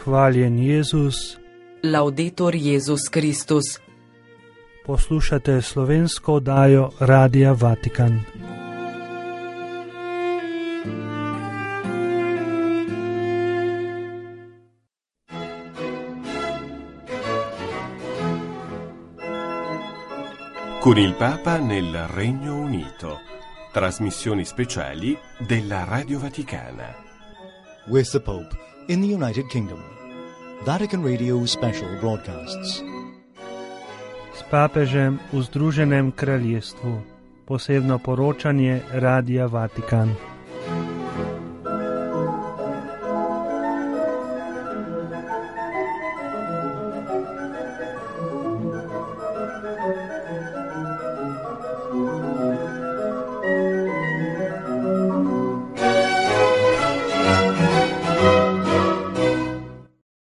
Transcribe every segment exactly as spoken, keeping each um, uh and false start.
Hvaljen Jezus. Laudetur Jezus Kristus. Poslušate slovensko oddajo Radia Vatikan. Con il Papa nel Regno Unito. Trasmissioni speciali della Radio Vaticana. With the Pope in the United Kingdom. Vatican Radio special broadcasts. S papežem v Združenem kraljestvu. Posebno poročanje Radia Vatikan.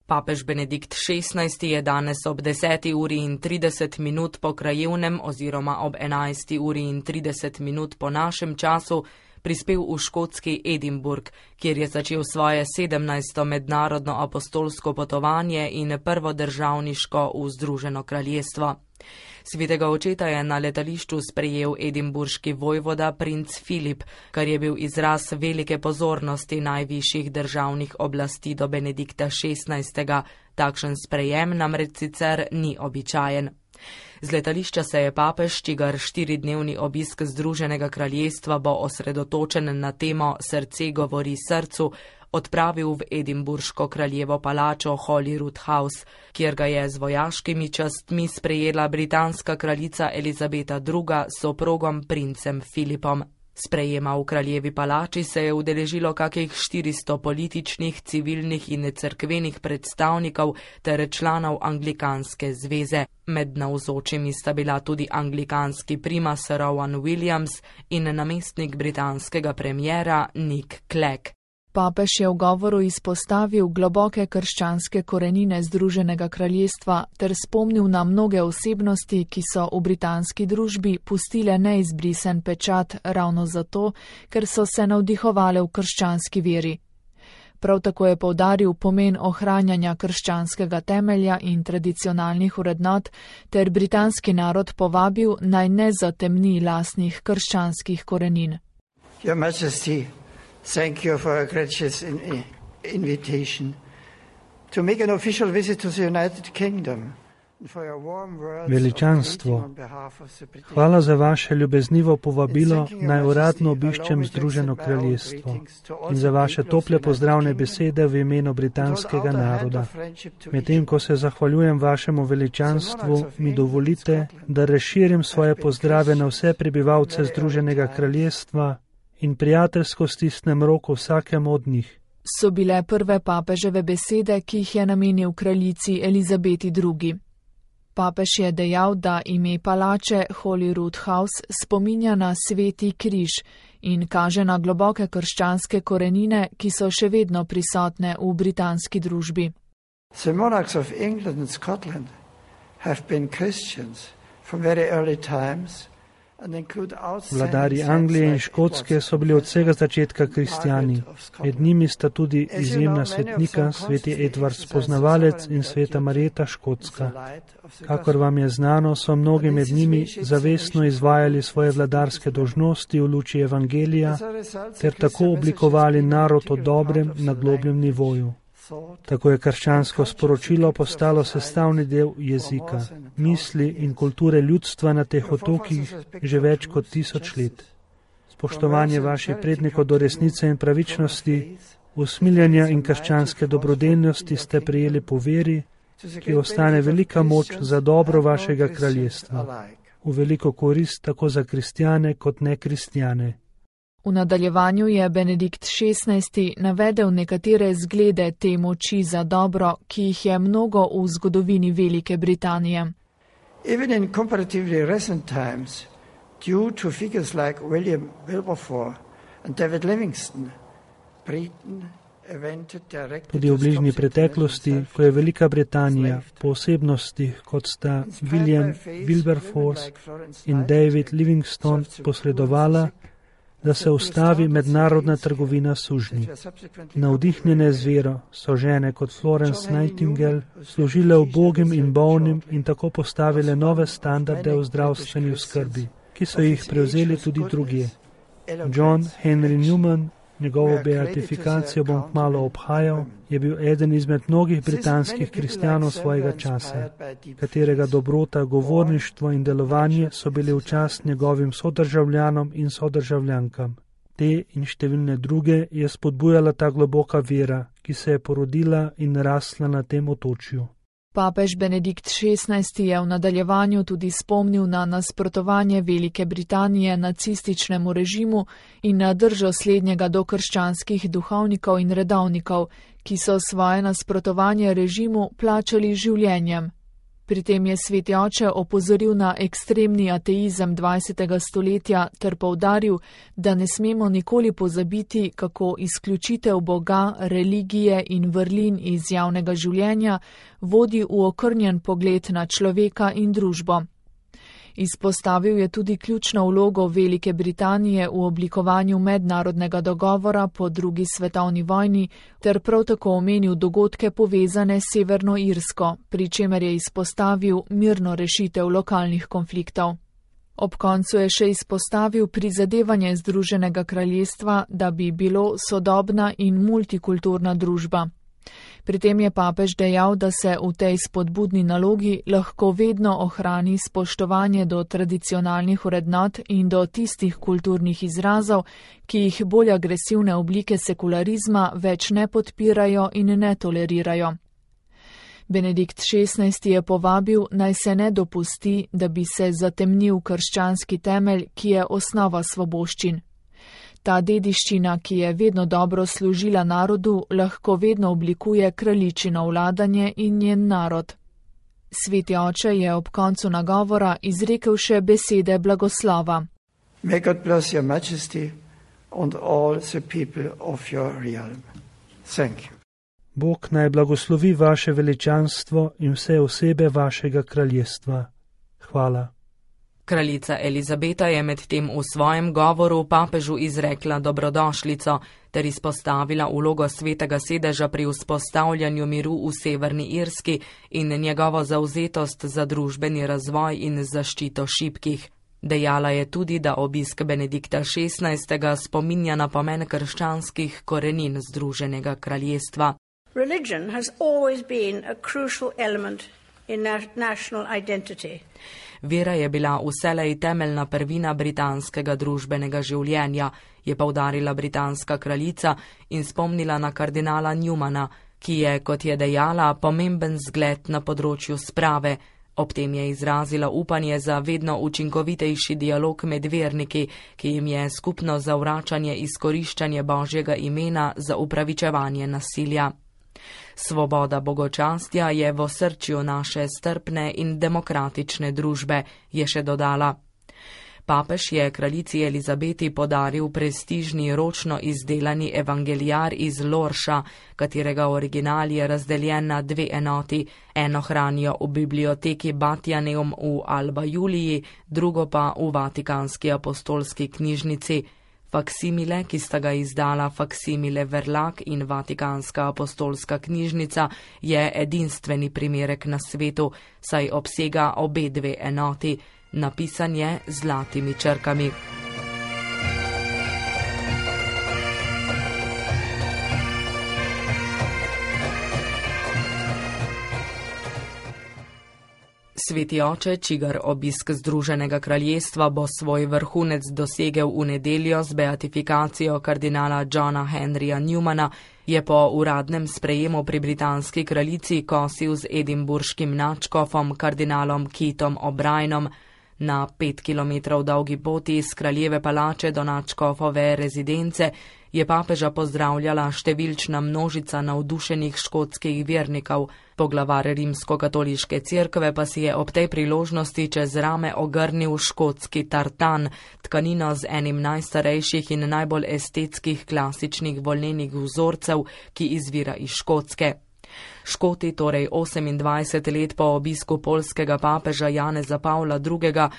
Papež Benedikt šestnajsti je danes ob deseti uri in trideset minut po krajevnem oziroma ob enajsti uri in trideset minut po našem času prispel v škotski Edinburgh, kjer je začel svoje sedemnajsto mednarodno apostolsko potovanje in prvo državniško v Združeno kraljestvo. Svetega očeta je na letališču sprejel edinburški vojvoda princ Filip, kar je bil izraz velike pozornosti najvišjih državnih oblasti do Benedikta šestnajstega. Takšen sprejem namreč sicer ni običajen. Z letališča se je papež, čigar štiridnevni obisk Združenega kraljestva bo osredotočen na temo Srce govori srcu, odpravil v edinburško kraljevo palačo Holyrood House, kjer ga je z vojaškimi častmi sprejela britanska kraljica Elizabeta druga s soprogom princem Filipom. Sprejema v kraljevi palači se je udeležilo kakih štiristo političnih, civilnih in cerkvenih predstavnikov ter članov Anglikanske zveze. Med navzočimi sta bila tudi anglikanski primas Rowan Williams in namestnik britanskega premiera Nick Clegg. Papež je v govoru izpostavil globoke krščanske korenine Združenega kraljestva ter spomnil na mnoge osebnosti, ki so v britanski družbi pustile neizbrisen pečat ravno zato, ker so se navdihovale v krščanski veri. Prav tako je poudaril pomen ohranjanja krščanskega temelja in tradicionalnih vrednot ter britanski narod povabil naj ne zatemni lastnih krščanskih korenin. Your Majesty, thank you for a gracious in- invitation to make an official visit to the United Kingdom. Veličanstvo, hvala za vaše ljubeznivo povabilo, naj uradno obiščem Združeno kraljestvo in za vaše tople pozdravne besede v imenu britanskega naroda. Medtem, ko se zahvaljujem vašemu veličanstvu, mi dovolite, da razširim svoje pozdrave na vse prebivalce Združenega kraljestva in prijateljsko stisnem roko vsakemu od njih. So bile prve papeževe besede, ki jih je namenil kraljici Elizabeti drugi. Papež je dejal, da ime palače Holyrood House spominja na sveti križ in kaže na globoke krščanske korenine, ki so še vedno prisotne v britanski družbi. The monarchs of England and Scotland have been Christians from very early times. Vladarji Anglije in Škotske so bili od vsega začetka kristjani. Med njimi sta tudi izjemna svetnika, sveti Edvard Spoznavalec in sveta Marjeta Škotska. Kakor vam je znano, so mnogi med njimi zavestno izvajali svoje vladarske dolžnosti v luči evangelija ter tako oblikovali narod o dobrem na globljem nivoju. Tako je krščansko sporočilo postalo sestavni del jezika, misli in kulture ljudstva na teh otokih že več kot tisoč let. Spoštovanje vaših prednikov do resnice in pravičnosti, usmiljenja in krščanske dobrodelnosti ste prejeli po veri, ki ostane velika moč za dobro vašega kraljestva, v veliko korist tako za kristjane kot nekristjane. V nadaljevanju je Benedikt šestnajsti navedel nekatere zglede te moči za dobro, ki jih je mnogo v zgodovini Velike Britanije. Even in comparatively recent times, due to figures like William Wilberforce and David Livingstone, Britain evented directly. Tudi v bližnji preteklosti, ko je Velika Britanija po osebnostih, kot sta William Wilberforce in David Livingstone, posredovala, da se ustavi mednarodna trgovina sužnji. Navdihnjene z vero so žene kot Florence Nightingale služile ubogim in bolnim in tako postavile nove standarde v zdravstveni oskrbi, ki so jih prevzeli tudi drugje. John Henry Newman, njegovo beatifikacijo bom kmalu obhajal, je bil eden izmed mnogih britanskih kristjanov svojega časa, katerega dobrota, govorništvo in delovanje so bili v čast njegovim sodržavljanom in sodržavljankam. Te in številne druge je spodbujala ta globoka vera, ki se je porodila in rasla na tem otočju. Papež Benedikt šestnajsti je v nadaljevanju tudi spomnil na nasprotovanje Velike Britanije nacističnemu režimu in na držo slednjega do krščanskih duhovnikov in redovnikov, ki so svoje nasprotovanje režimu plačali življenjem. Pri tem je sveti oče opozoril na ekstremni ateizem dvajsetega stoletja ter poudaril, da ne smemo nikoli pozabiti, kako izključitev Boga, religije in vrlin iz javnega življenja vodi v okrnjen pogled na človeka in družbo. Izpostavil je tudi ključno vlogo Velike Britanije v oblikovanju mednarodnega dogovora po drugi svetovni vojni ter prav tako omenil dogodke povezane s Severno Irsko, pri čemer je izpostavil mirno rešitev lokalnih konfliktov. Ob koncu je še izpostavil prizadevanje Združenega kraljestva, da bi bilo sodobna in multikulturna družba. Pri tem je papež dejal, da se v tej spodbudni nalogi lahko vedno ohrani spoštovanje do tradicionalnih vrednot in do tistih kulturnih izrazov, ki jih bolj agresivne oblike sekularizma več ne podpirajo in ne tolerirajo. Benedikt šestnajsti je povabil, naj se ne dopusti, da bi se zatemnil krščanski temelj, ki je osnova svoboščin. Ta dediščina, ki je vedno dobro služila narodu, lahko vedno oblikuje kraljičino vladanje in njen narod. Sveti oče je ob koncu nagovora izrekel še besede blagoslova. May God bless your majesty and all the people of your realm. Thank you. Bog naj blagoslovi vaše veličanstvo in vse osebe vašega kraljestva. Hvala. Kraljica Elizabeta je medtem v svojem govoru papežu izrekla dobrodošlico ter izpostavila vlogo svetega sedeža pri vzpostavljanju miru v Severni Irski in njegovo zavzetost za družbeni razvoj in zaščito šibkih. Dejala je tudi, da obisk Benedikta šestnajstega spominja na pomen krščanskih korenin Združenega kraljestva. Religion has always been a crucial element in national identity. Vera je bila vselej temeljna prvina britanskega družbenega življenja, je poudarila britanska kraljica in spomnila na kardinala Newmana, ki je, kot je dejala, pomemben zgled na področju sprave. Ob tem je izrazila upanje za vedno učinkovitejši dialog med verniki, ki jim je skupno zavračanje izkoriščanje Božjega imena za upravičevanje nasilja. Svoboda bogočastja je v osrčju naše strpne in demokratične družbe, je še dodala. Papež je kraljici Elizabeti podaril prestižni ročno izdelani evangelijar iz Lorša, katerega original je razdeljen na dve enoti. Eno hranijo v biblioteki Batianeum v Alba Juliji, drugo pa v Vatikanski apostolski knjižnici. Faksimile, ki sta ga izdala Faksimile Verlag in Vatikanska apostolska knjižnica, je edinstveni primerek na svetu, saj obsega obe dve enoti. Napisan je z zlatimi črkami. Sveti oče, čigar obisk Združenega kraljestva bo svoj vrhunec dosegel v nedeljo z beatifikacijo kardinala Johna Henryja Newmana, je po uradnem sprejemu pri britanski kraljici kosil z edinburškim nadškofom kardinalom Keithom O'Brienom. Na pet kilometrov dolgi poti iz kraljeve palače do nadškofove rezidence je papeža pozdravljala številčna množica navdušenih škotskih vernikov. Poglavar rimskokatoliške cerkve pa si je ob tej priložnosti čez rame ogrnil škotski tartan, tkanino z enim najstarejših in najbolj estetskih klasičnih volnenih vzorcev, ki izvira iz Škotske. Škoti torej osemindvajset let po obisku poljskega papeža Janeza Pavla drugega.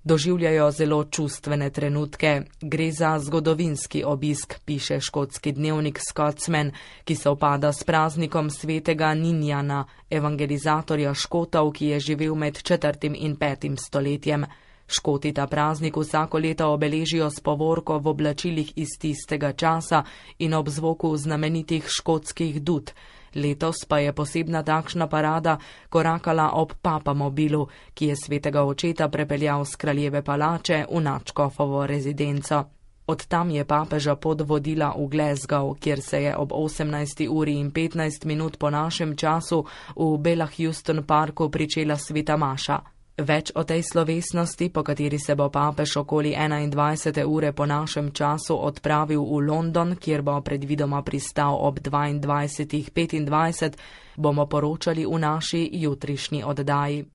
Doživljajo zelo čustvene trenutke. Gre za zgodovinski obisk, piše škotski dnevnik Scotsman, ki se upada s praznikom svetega Ninjana, evangelizatorja Škotov, ki je živel med četrtim in petim stoletjem. Škoti ta praznik vsako leto obeležijo s povorko v oblačilih iz tistega časa in ob zvoku znamenitih škotskih dud. Letos pa je posebna takšna parada korakala ob papamobilu, ki je svetega očeta prepeljal z kraljeve palače v nadškofovo rezidenco. Od tam je papeža pot vodila v Glasgow, kjer se je ob osemnajsti uri in petnajst minut po našem času v Bellahouston parku pričela sveta maša. Več o tej slovesnosti, po kateri se bo papež okoli enaindvajsete ure po našem času odpravil v London, kjer bo predvidoma pristal ob dvaindvajsetih petindvajset, bomo poročali v naši jutrišnji oddaji.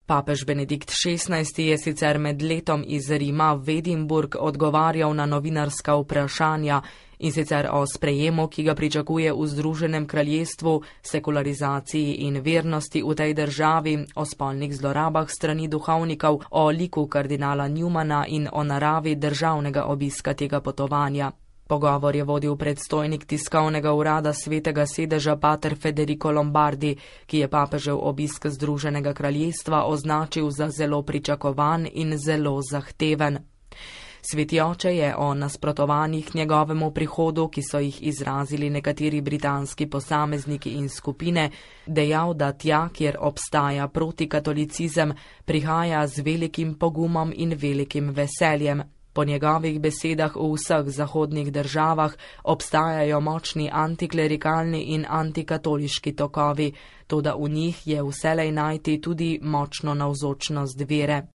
Papež Benedikt šestnajsti je sicer med letom iz Rima v Edinburg odgovarjal na novinarska vprašanja, in sicer o sprejemu, ki ga pričakuje v Združenem kraljestvu, sekularizaciji in vernosti v tej državi, o spolnih zlorabah strani duhovnikov, o liku kardinala Newmana in o naravi državnega obiska tega potovanja. Pogovor je vodil predstojnik tiskovnega urada Svetega sedeža pater Federico Lombardi, ki je papežev obisk Združenega kraljestva označil za zelo pričakovan in zelo zahteven. Sveti oče je o nasprotovanjih njegovemu prihodu, ki so jih izrazili nekateri britanski posamezniki in skupine, dejal, da tja, kjer obstaja protikatolicizem, prihaja z velikim pogumom in velikim veseljem. Po njegovih besedah v vseh zahodnih državah obstajajo močni antiklerikalni in antikatoliški tokovi, toda v njih je vselej najti tudi močno navzočnost vere.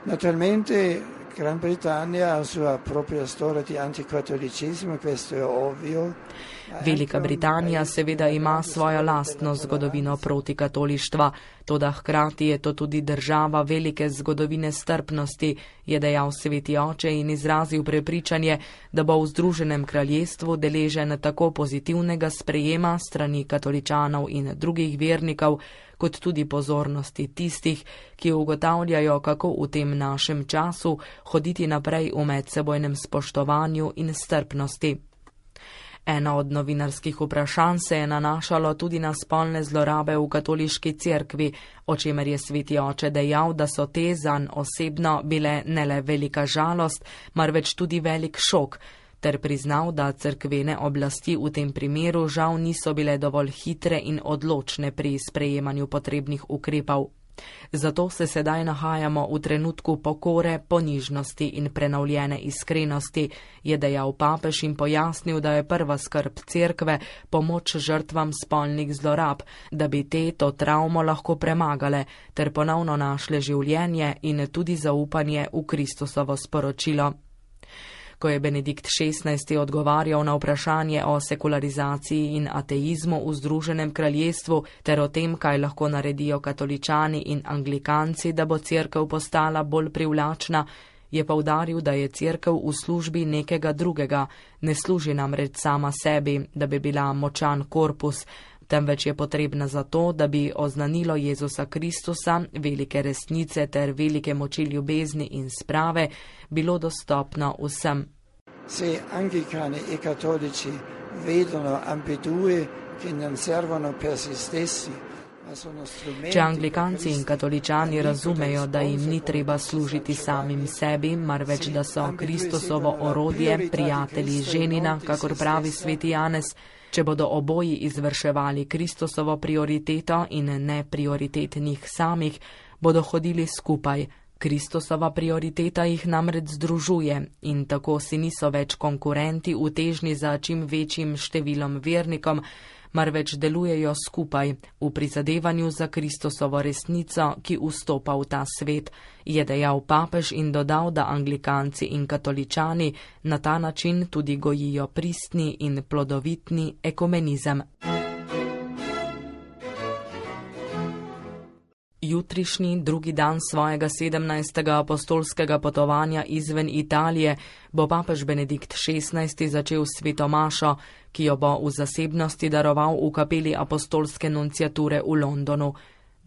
Naturalmente Gran Britannia ha sua propria storia di anticatolicismo, questo è ovvio. Velika Britanija seveda ima svojo lastno zgodovino protikatolištva, toda hkrati je to tudi država velike zgodovine strpnosti, je dejal sveti oče in izrazil prepričanje, da bo v Združenem kraljestvu deležen tako pozitivnega sprejema strani katoličanov in drugih vernikov, kot tudi pozornosti tistih, ki ugotavljajo, kako v tem našem času hoditi naprej v medsebojnem spoštovanju in strpnosti. Eno od novinarskih vprašanj se je nanašalo tudi na spolne zlorabe v katoliški cerkvi, o čemer je sveti oče dejal, da so te zanj osebno bile ne le velika žalost, marveč tudi velik šok, ter priznal, da cerkvene oblasti v tem primeru žal niso bile dovolj hitre in odločne pri sprejemanju potrebnih ukrepov. Zato se sedaj nahajamo v trenutku pokore, ponižnosti in prenovljene iskrenosti, je dejal papež in pojasnil, da je prva skrb cerkve pomoč žrtvam spolnih zlorab, da bi te to travmo lahko premagale ter ponovno našle življenje in tudi zaupanje v Kristusovo sporočilo. Ko je Benedikt šestnajsti odgovarjal na vprašanje o sekularizaciji in ateizmu v Združenem kraljestvu ter o tem, kaj lahko naredijo katoličani in anglikanci, da bo cerkev postala bolj privlačna, je poudaril, da je cerkev v službi nekega drugega, ne služi namreč sama sebi, da bi bila močan korpus, temveč je potrebna zato, da bi oznanilo Jezusa Kristusa, velike resnice ter velike moči ljubezni in sprave bilo dostopno vsem. Se anglicani e cattolici vedono ambedue che non servono per se stessi, ma sono strumenti. Če anglikanci in katoličani razumejo, da jim ni treba služiti samim sebi, marveč da so Kristusovo orodje, prijatelji ženina, kakor pravi sveti Janez, če bodo oboji izvrševali Kristusovo prioriteto in ne prioritet njih samih, bodo hodili skupaj. Kristusova prioriteta jih namreč združuje in tako si niso več konkurenti v težnji za čim večjim številom vernikom, marveč delujejo skupaj v prizadevanju za Kristusovo resnico, ki vstopa v ta svet, je dejal papež in dodal, da anglikanci in katoličani na ta način tudi gojijo pristni in plodovitni ekumenizem. Jutrišnji drugi dan svojega sedemnajstega apostolskega potovanja izven Italije bo papež Benedikt šestnajsti začel s sveto mašo, ki jo bo v zasebnosti daroval v kapeli apostolske nunciature v Londonu.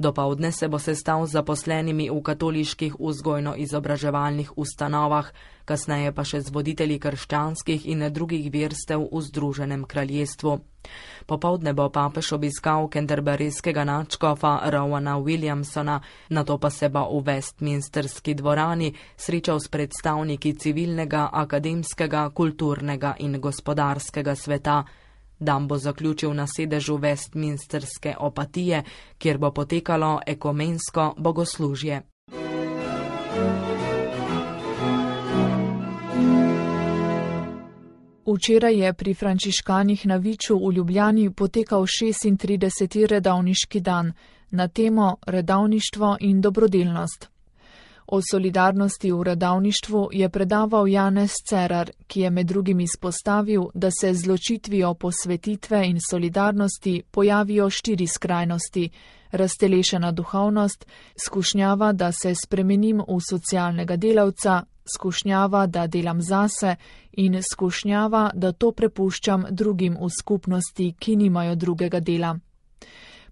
Dopoldne se bo sestal z zaposlenimi v katoliških vzgojno-izobraževalnih ustanovah, kasneje pa še z voditelji krščanskih in drugih verstev v Združenem kraljestvu. Popoldne bo papež obiskal canterburyskega nadškofa Rowana Williamsona, nato pa se bo v Westminsterski dvorani srečal s predstavniki civilnega, akademskega, kulturnega in gospodarskega sveta. Dan bo zaključil na sedežu Westminsterske opatije, kjer bo potekalo ekumensko bogoslužje. Včeraj je pri frančiškanih na Viču v Ljubljani potekal šestintrideseti redovniški dan na temo redovništvo in dobrodelnost. O solidarnosti v redovništvu je predaval Janez Cerar, ki je med drugim izpostavil, da se z ločitvijo posvetitve in solidarnosti pojavijo štiri skrajnosti: raztelešena duhovnost, skušnjava, da se spremenim v socialnega delavca, skušnjava, da delam zase in skušnjava, da to prepuščam drugim v skupnosti, ki nimajo drugega dela.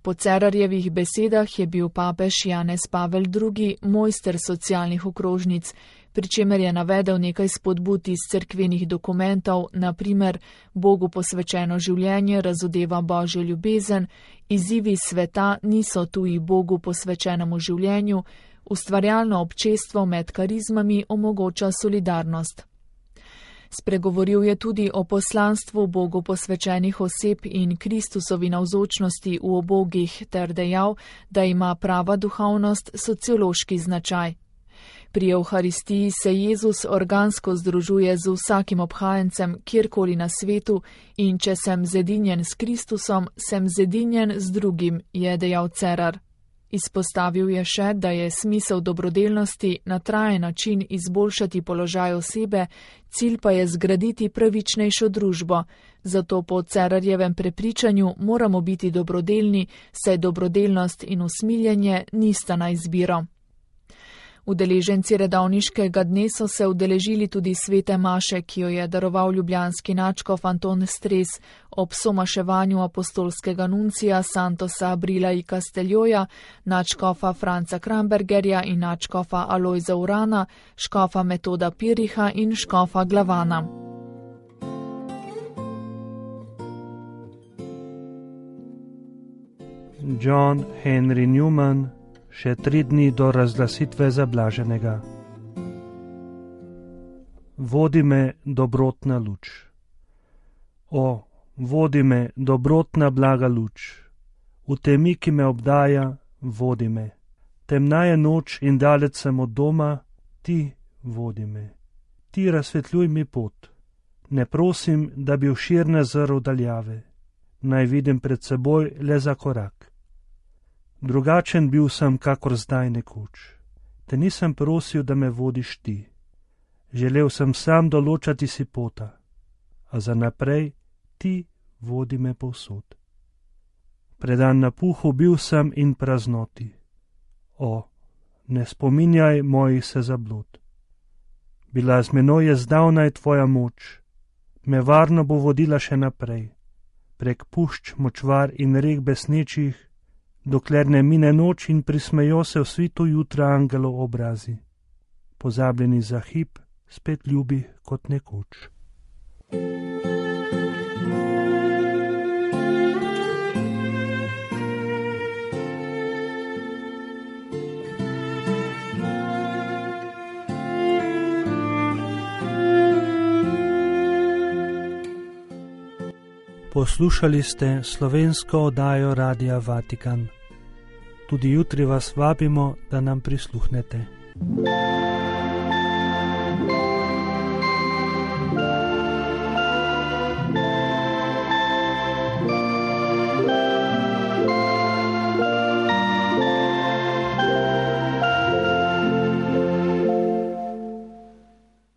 Po Cerarjevih besedah je bil papež Janez Pavel drugi mojster socialnih okrožnic, pri čemer je navedel nekaj spodbud iz cerkvenih dokumentov, na primer Bogu posvečeno življenje razodeva Božjo ljubezen, izzivi sveta niso tuji Bogu posvečenemu življenju, ustvarjalno občestvo med karizmami omogoča solidarnost. Spregovoril je tudi o poslanstvu Bogu posvečenih oseb in Kristusovi navzočnosti v obogih ter dejal, da ima prava duhovnost sociološki značaj. Pri Evharistiji se Jezus organsko združuje z vsakim obhajencem kjerkoli na svetu in če sem zedinjen s Kristusom, sem zedinjen z drugim, je dejal Cerar. Izpostavil je še, da je smisel dobrodelnosti na trajen način izboljšati položaj osebe, cilj pa je zgraditi pravičnejšo družbo. Zato po Cerarjevem prepričanju moramo biti dobrodelni, saj dobrodelnost in usmiljenje nista na izbiro. Udeleženci redovniškega dne so se udeležili tudi svete maše, ki jo je daroval ljubljanski nadškof Anton Stres ob somaševanju apostolskega nuncija Santosa Abrila i Casteljoja, nadškofa Franca Krambergerja in nadškofa Alojza Urana, škofa Metoda Piriha in škofa Glavana. John Henry Newman, še tri dni do razglasitve za blaženega. Vodi me dobrotna luč. O, vodi me dobrotna blaga luč. V temi, ki me obdaja, vodi me. Temna je noč in dalec sem od doma, ti vodi me. Ti razsvetljuj mi pot. Ne prosim, da bi vširne zrl daljave. Naj vidim pred seboj le za korak. Drugačen bil sem, kakor zdaj nekoč. Te nisem prosil, da me vodiš ti. Želel sem sam določati si pota, a za naprej ti vodi me povsod. Predan napuhu bil sem in praznoti. O, ne spominjaj mojih se zablod. Bila z menoj je zdavnaj tvoja moč, me varno bo vodila še naprej, prek pušč, močvar in rek besnečih, dokler ne mine noč in prismejo se v svitu jutra angelov obrazi. Pozabljeni za hip, spet ljubi kot nekoč. Poslušali ste slovensko oddajo Radia Vatikan. Tudi jutri vas vabimo, da nam prisluhnete.